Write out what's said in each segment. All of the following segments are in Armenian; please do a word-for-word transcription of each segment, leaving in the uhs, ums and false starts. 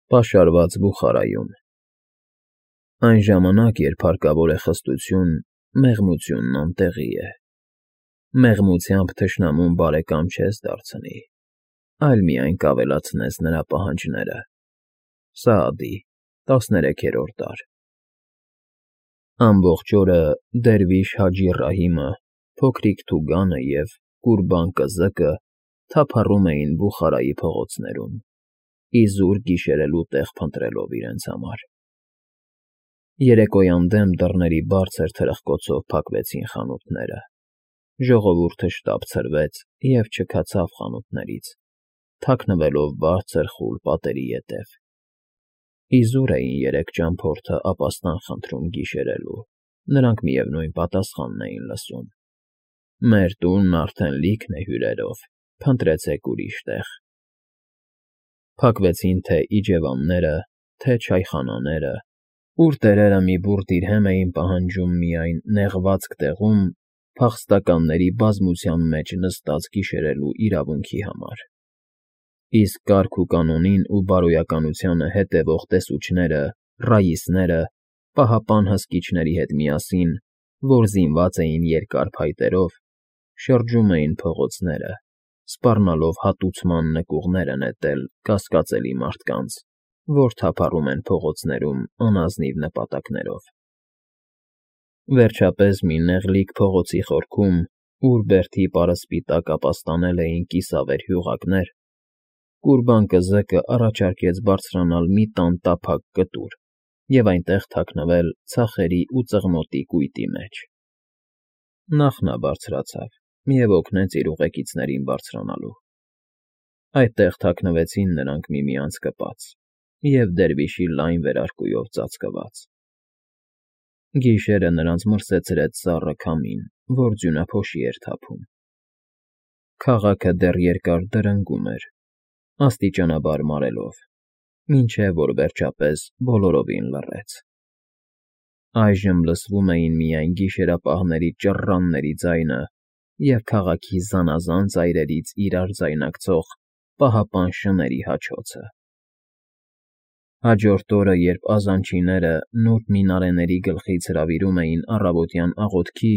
Պաշարված Բուխարայում Այն ժամանակ, երբ հարկավոր է խստություն, մեղմությունն անտեղի է. մեղմությամբ թշնամուն բարեկամ չես դարձնի, այլ միայն կավելացնես նրա պահանջները։ Սաադի, տասներեքերորդ դար Ամբողջ օրը դերվիշ Հաջի Ռահիմը, փոքրիկ Թուգանը և Կուրբան Կզկը թափառում էին Բուխարայի փողոցներում, իզուր գիշերելու տեղ փնտրելով իրենց համար։ Երեկոյան դեմ դռների բարձր թրխկոցով փակվեցին խանութները, ժողովուրդը շտապ ցրվեց և չքացավ խանութներից, թաքնվելով բարձր խուլ պատերի ետև։ Իզուր էին երեք ճամփորդը ապաստան խնդրում գիշերելու, նրանք միևնույն պատասխանն էին լսում. «Մեր տունն արդեն լիքն է հյուրերով, փնտրեցեք ուրիշ տեղ»։ Փակվեցին թե՛ իջևանները, թե՛ չայխանաները, ուր տերերը մի բուռ դիրհեմ էին պահանջում միայն նեղվածք տեղում փախստականների բազմության մեջ նստած գիշերելու իրավունքի համար, իսկ կարգ ու կանոնին ու բարոյականությանը հետևող տեսուչները, ռաիսները, պահապան հսկիչների հետ միասին, որ զինված էին երկար փայտերով, շրջում էին փողոցները, սպառնալով հատուցման նկուղները նետել կասկածելի մարդկանց, որ թափառում են փողոցներում անազնիվ նպատակներով։ Վերջապես մի նեղլիկ փողոցի խորքում, ուր բերդի պարսպի տակ ապաստանել էին կիսավեր հյուղակներ, Կուրբան Կզկը առաջարկեց բարձրանալ մի տան տափակ կտուր և այնտեղ թաքնվել ցախերի ու ծղնոտի կույտի մեջ։ Նախ նա բարձրացավ և օգնեց իր ուղեկիցներին բարձրանալու։ Այդտեղ թաքնվեցին նրանք միմյանց կպած և դերվիշի լայն վերարկուով ծածկված։ Գիշերը նրանց մրսեցրեց սառը քամին, որ ձյունափոշի էր թափում։ Քաղաքը դեռ երկար դրնգում էր, աստիճանաբար մարելով, մինչև որ վերջապես բոլորովին լռեց։ Այժմ լսվում էին միայն գիշերապահների ճռռանների ձայնը և քաղաքի զանազան ծայրերից իրար ձայնակցող պահապան շների հաչոցը։ Հաջորդ օրը, երբ ազանչիները նուրբ մինարեների գլխից հրավիրում էին առավոտյան աղոթքի,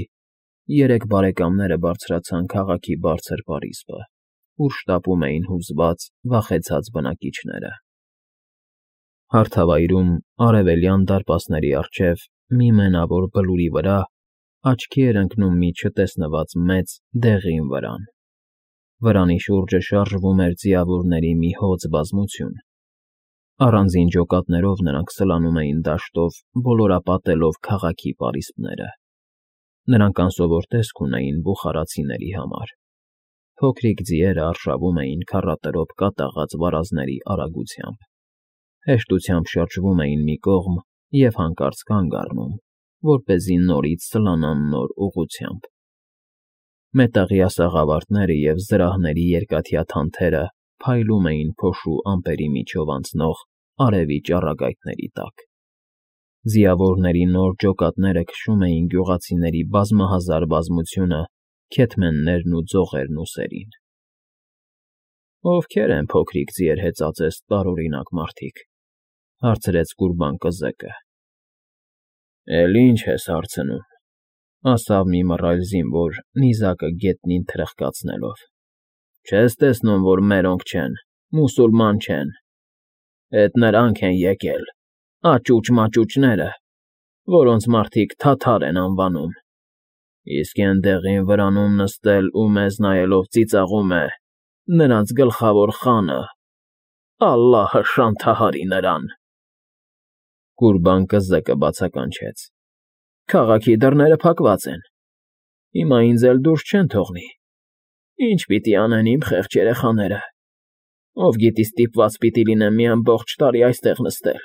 երեք բարեկամները բարձրացան քաղաքի բարձր պարիսպը, ուր շտապում էին հուզված, վախեցած բնակիչները։ Հարթավայրում, արևելյան դարպասների առջև, մի մենավոր բլուրի վրա աչքի էր ընկնում մի չտեսնված մեծ, դեղին վրան։ Վրանի շուրջը շարժվում էր ձիավորների մի հոծ բազմություն։ Առանձին ջոկատներով նրանք սլանում էին դաշտով, ոլորապատելով քաղաքի պարիսպները։ Նրանք անսովոր տեսք ունեին բուխարացիների համար։ Փոքրիկ ձիերը արշավում էին քառատրոփ կատաղած վարազների արագությամբ, հեշտությամբ շրջվում էին մի կողմ և հանկարծ կանգ առնում, որպեսզի նորից սլանան նոր ուղղությամբ։ Մետաղյա սաղավարտները և զրահների երկաթյա թանթերը փայլում էին փոշու ամպերի միջով անցնող արևի ճառագայթների տակ։ Ձիավորների նոր ջոկատները քշում էին գյուղացիների բազմահազար բազմությունը քեթմեններն ու ձողերն ուսերին։ ֊ Ովքե՞ր են փոքրիկ ձիեր հեծածես տարօրինակ մարդիկ,֊ հարցրեց Կուրբան Կզկը։ ֊ Էլ ինչ ես հարցնում,֊ ասավ մի մռայլ զինվոր, նիզակը գետնին թրխկացնելով,֊ չես տեսնում, որ մերոնք չեն, մուսուլման չեն, էդ նրանք են եկել, աճուճ֊մաճուճները, որոնց մարդիկ թաթար են անվանում, իսկ էն դեղին վրանում նստել ու մեզ նայելով ծիծաղում է նրանց գլխավոր խանը, ալլահը շանթահարի նրան… Կուրբան Կզկը բացականչեց. ֊ Քաղաքի դռները փակված են, հիմա ինձ էլ դուրս չեն թողնի, ի՞նչ պիտի անեն իմ խեղճ երեխաները, ով գիտի ստիպված պիտի լինեմ մի ամբողջ տարի այստեղ նստել…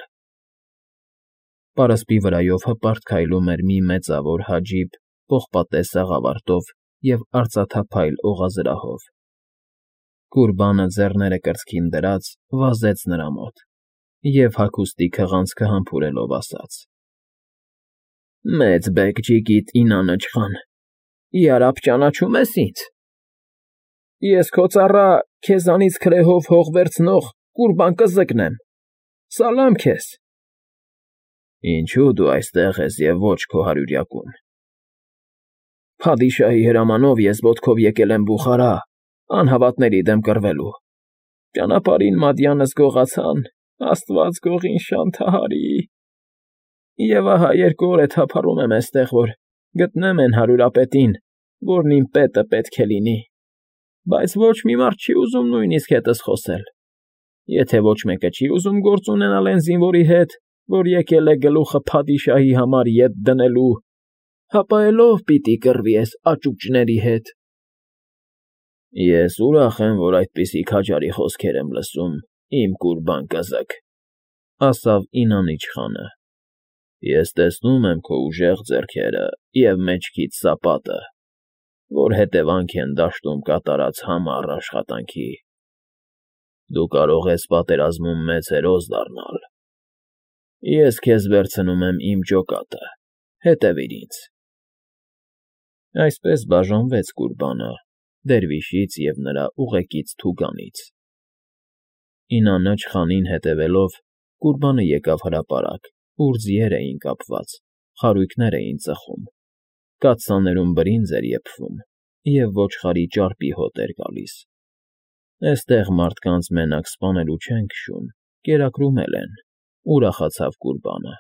Պարսպի վրայով հպարտ քայլում էր մի մեծավոր հաջիբ պողպատե սաղավարտով և արծաթափայլ օղազրահով։ Կուրբանը, ձեռները կրծքին դրած, վազեց նրա մոտ և, հագուստի քղանցքը համբուրելով, ասաց. ֊ Մեծ բեգ֊ջիգիտ ինանչխան, յարաբ ճանաչում ես ինձ… Ես քո ծառա, քեզանից քրեհով հող վերցնող Կուրբան Կզկն եմ։ Սալամ քեզ։ Ինչու դու այստեղ ես և ոչ քո հարյուրյակում։ Փադիշահի հրամանով ես ոտքով եկել եմ Բուխարա, անհավատների դեմ կռվելու։ Ճանապարհին մադյանս գողացան, աստված գողին շանթահարի։ Եվ ահա երկու օր է թափառում եմ էստեղ, որ գտնեմ էն հարյուրապետին, որն իմ պետը պետք է լինի, բայց ոչ մի մարդ չի ուզում նույնիսկ հետս խոսել։ Եթե ոչ մեկը չի ուզում գործ ունենալ էն զինվորի հետ, որ եկել է գլուխը փադիշահի համար ետ դնելու, հապա էլ ով պիտի կռվի էս աճուճների հետ։ Ես ուրախ եմ, որ այդպիսի քաջարի խոսքեր եմ լսում, իմ կուրբան կզակ, ասավ Ինանիչ խանը։ Ես տեսնում եմ քո ուժեղ ձեռքերը և մեջքիդ սապատը, որ հետևանք են դաշտում կատարած համառ աշխատանքի։ Դու կարող ես պատերազմում մեծ հերոս դառնալ։ Ես քեզ վերցնում եմ իմ ջոկատը, հետևիր ինձ։ Այսպես բաժանվեց կուրբանը դերվիշից և նրա ուղեկից Թուգանից։ Ինանաչ խանին հետևելով, կուրբանը եկավ հրապարակ, ուր ձիեր էին կապված, խարույկներ էին ծխում, կաթսաներում բրինձ էր եփվում և ոչխարի ճարպի հոտ էր գալիս։ Էստեղ մարդկանց մենակ սպանելու չեն քշում, կերակրում էլ են, ուրախացավ կուրբանը։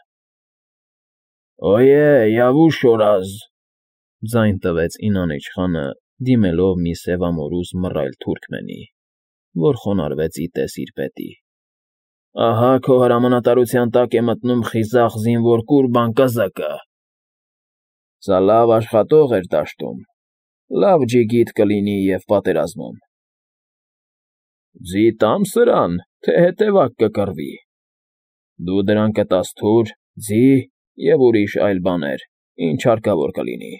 Օյե, Յավուշ օրազ, ձայն տվեց Ինանիչ խանը, դիմելով մի սևամորուզ մռայլ թուրքմենի, որ խոնարհվեց ի տես իր պետի։ Ահա քո հրամանատարության տակ է մտնում խիզախ զինվոր կուրբան կզակը։ Սա լավ աշխատող էր դաշտում, լավ ջիգիտ կլինի և պատերազմում։ Ձի տամ սրան, թե հետևակ կկռվի։ Դու դրան կտաս թուր, ձի և ուրիշ այլ բաներ, ինչ հարկավոր կլինի։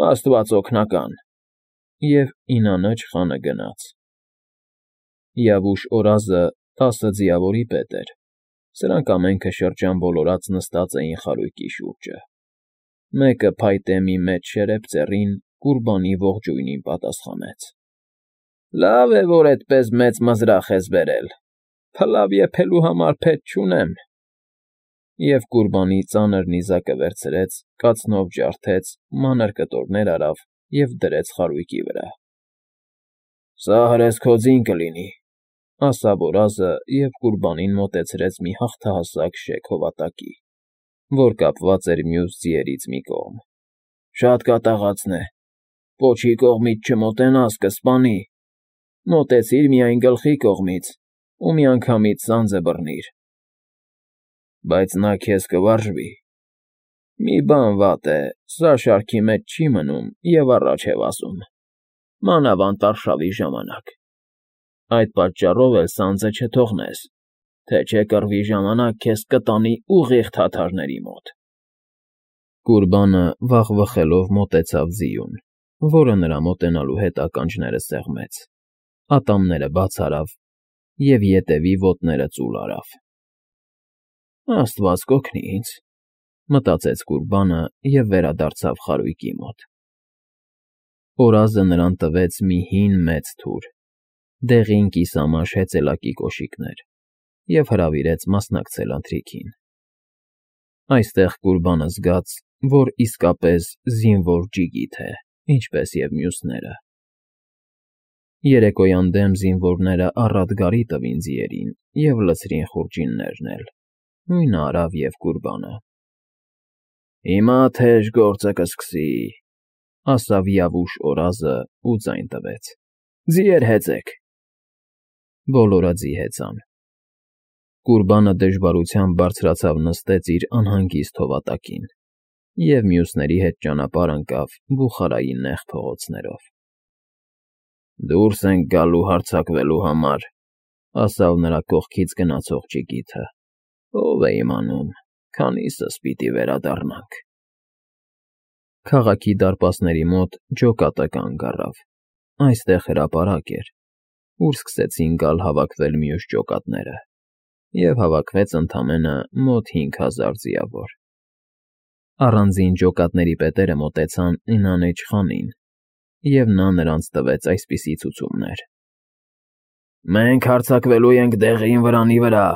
Աստված օգնական։ Եվ Ինանաչ խանը գնաց։ Յավուշ օրազը տասը ձիավորի պետ էր, սրանք ամենքը շրջան նստած էին խարույկի շուրջը։ Մեկը փայտե մի մեծ շերեփ ծեռին կուրբանի ողջույնին պատասխանեց. Լավ է, որ էդպես մեծ մզրախ ես բերել, փլավ եփելու համար փետ չունեմ։ Եվ կուրբանի ծանր նիզակը վերցրեց, կացնով ջարդեց, մանր կտորներ արավ և դրեց խարույկի վրա։ Սա հրես քո ձին կլինի, ասավ օրազը և կուրբանին մոտեցրեց մի հաղթահասակ շեք հովատակի, որ կապված էր մյուս ձիերից մի կողմ։ Շատ կատաղածն է, պոչի կողմից չմոտենաս, կսպանի, մոտեցիր միայն գլխի կողմից ու միանգամից ծանձը բռնիր։ Բայց նա քեզ կվարժվի։ Մի բան վատ է, սա շարքի մեջ չի մնում և առաջ է վազում, մանավանդ արշավի ժամանակ։ Այդ պատճառով էլ սանձը չթողնես, թե չէ կռվի ժամանակ քեզ կտանի ուղիղ թաթարների մոտ։ Կուրբանը վախվխելով մոտեցավ ձիուն, որը նրա մոտենալու հետ ականջները սեղմեց, ատամները բաց արավ և ետևի ոտները ծուլ արավ։ Աստված կօգնի ինձ, մտածեց կուրբանը և վերադարձավ խարույկի մոտ։ Օրազը նրան տվեց մի հին մեծ թուր, դեղին կիսամաշ հեծելակի կոշիկներ և հրավիրեց մասնակցել ընթրիքին։ Այստեղ կուրբանը զգաց, որ իսկապես զինվոր ջիգիթ է, ինչպես և մյուսները։ Երեկոյան դեմ զինվորները առատ գարի տվին ձիերին և լցրին խուրջիններն էլ, նույնը արավ և կուրբանը։ Հիմա թեժ գործը կսկսի, ասավ Յավուշ օրազը ու ձայն տվեց. Ձիեր հեծեք։ Բոլորը ձի հեծան։ Կուրբանը դժվարությամբ բարձրացավ նստեց իր անհանգիստ հովատակին և մյուսների հետ ճանապարհ ընկավ Բուխարայի նեղ փողոցներով։ Դուրս ենք գալու հարձակվելու համար, ասավ նրա կողքից գնացող ջիգիթը։ Ով է իմանում, քանիսս պիտի վերադառնանք։ Քաղաքի դարպասների մոտ ջոկատը կանգ առավ։ Այստեղ հրապարակ էր, ուր սկսեցին գալ հավաքվել մյուս ջոկատները, և հավաքվեց ընդամենը մոտ հինգ հազար ձիավոր։ Առանձին ջոկատների պետերը մոտեցան Ինանիչ խանին, և նա նրանց տվեց այսպիսի ցուցումներ. Մենք հարձակվելու ենք դեղին վրանի վրա,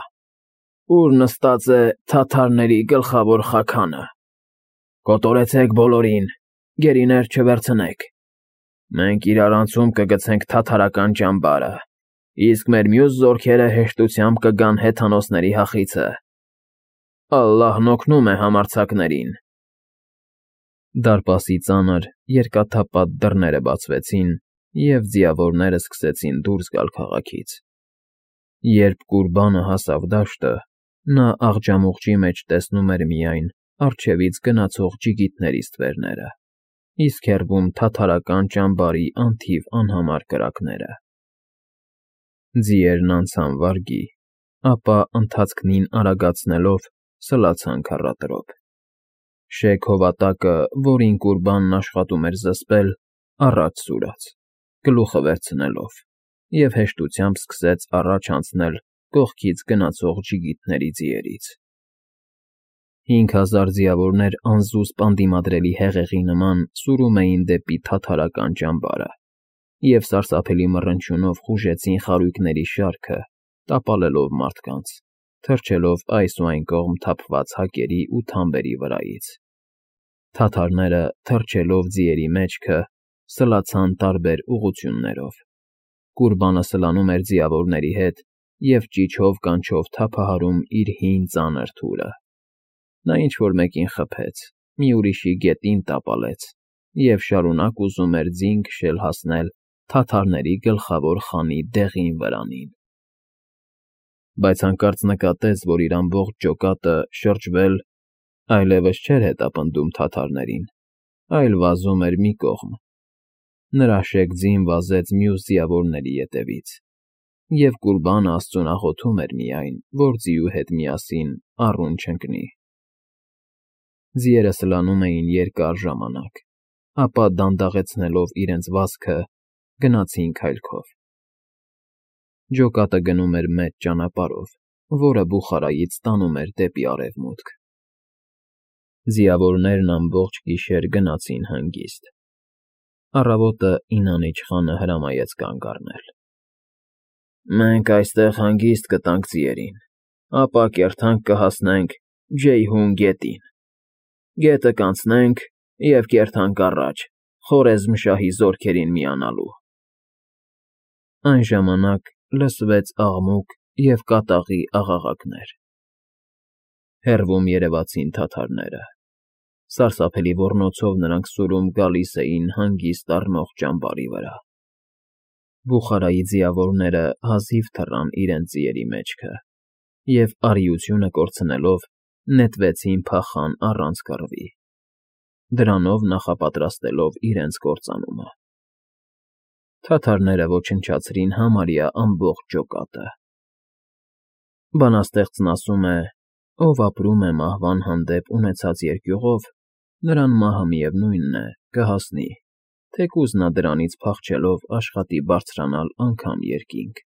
Ուր նստած է թաթարների գլխավոր խաքանը։ Կոտորեցեք բոլորին, գերիներ չվերցնեք։ Մենք իրար անցում կգցենք թաթարական ճամբարը, իսկ մեր մյուս զորքերը հեշտությամբ կգան հեթանոսների հախիցը։ Ալլահն օգնում է համարձակներին։ Դարպասի ծանր, երկաթափատ դռները բացվեցին, և ձիավորները սկսեցին դուրս գալ քաղաքից։ Երբ Կուրբանը հասավ դաշտը, նա աղջամուղջի մեջ տեսնում էր միայն առջևից գնացող ջիգիթների ստվերները, իսկ հեռվում թաթարական ճամբարի անթիվ անհամար կրակները։ Ձիերն անցան վարգի, ապա ընթացքնին արագացնելով սլացան քառատրոփ։ Շեք հովատակը, որին Կուրբանն աշխատում էր զսպել, առաջ սուրաց, գլուխը վերցնելով, և հեշտությամբ սկսեց առաջ անցնել կողքից գնացող ջիգիթների ձիերից։ Հինգ հազար ձիավորներ անզուսպ անդիմադրելի հեղեղի նման սուրում էին դեպի թաթարական ճամբարը և սարսափելի մռնչյունով խուժեցին խարույկների շարքը, տապալելով մարդկանց, թռչելով այս ու այն կողմ թափված հակերի ու թամբերի վրայից։ Թաթարները, թռչելով ձիերի մեջքը, սլացան տարբեր ուղղություններով։ Կուրբանը սլանում էր ձիավորների հետ և ճիչով-կանչով թափահարում իր հին ծանր թուրը։ Նա ինչ֊որ մեկին խփեց, մի ուրիշի գետին տապալեց և շարունակ ուզում էր ձին քշել հասնել թաթարների գլխավոր խանի դեղին վրանին։ Բայց հանկարծ նկատեց, որ իր ամբողջ ջոկատը շրջվել այլևս չէր հետապնդում թաթարներին, այլ վազում էր մի կողմ։ Նրա շեկ ձին վազեց մյուս ձիավորների ետևից, և Կուրբանը աստծուն աղոթում էր միայն, որ ձիու հետ միասին առուն չընկնի։ Ձիերը սլանում էին երկար ժամանակ, ապա դանդաղեցնելով իրենց վազքը, գնացին քայլքով։ Ջոկատը գնում էր մեծ ճանապարհով, որը Բուխարայից տանում էր դեպի արևմուտք։ Ձիավորներն ամբողջ գիշեր գնացին հանգիստ։ Առավոտը Ինանիչ խանը հրամայեց կանգ առնել։ «Մենք այստեղ հանգիստ կտանք ձիերին, ապա կերթանք կհասնենք Ջեյհուն գետին։ Գետը կանցնենք և կերթանք առաջ՝ Խորեզմ շահի զորքերին միանալու»։ Այն ժամանակ լսվեց աղմուկ և կատաղի աղաղակներ։ Հեռվում երևացին թաթարները։ Սարսափելի ոռնոցով նրանք սուրում գալիս էին հանգիստ առնող ճամբարի վրա։ Բուխարայի ձիավորները հազիվ թռան իրենց ձիերի մեջքը և, արիությունը կորցնելով, նետվեցին փախան առանց կռվի, դրանով նախապատրաստելով իրենց կործանումը։ Թաթարները ոչնչացրին համարյա ամբողջ ջոկատը։ Բանաստեղծն ասում է. «Ով ապրում է մահվան հանդեպ ունեցած երկյուղով, նրան մահը միևնույն է, կհասնի, թեկուզ նա դրանից փախչելով աշխատի բարձրանալ անգամ երկինք»։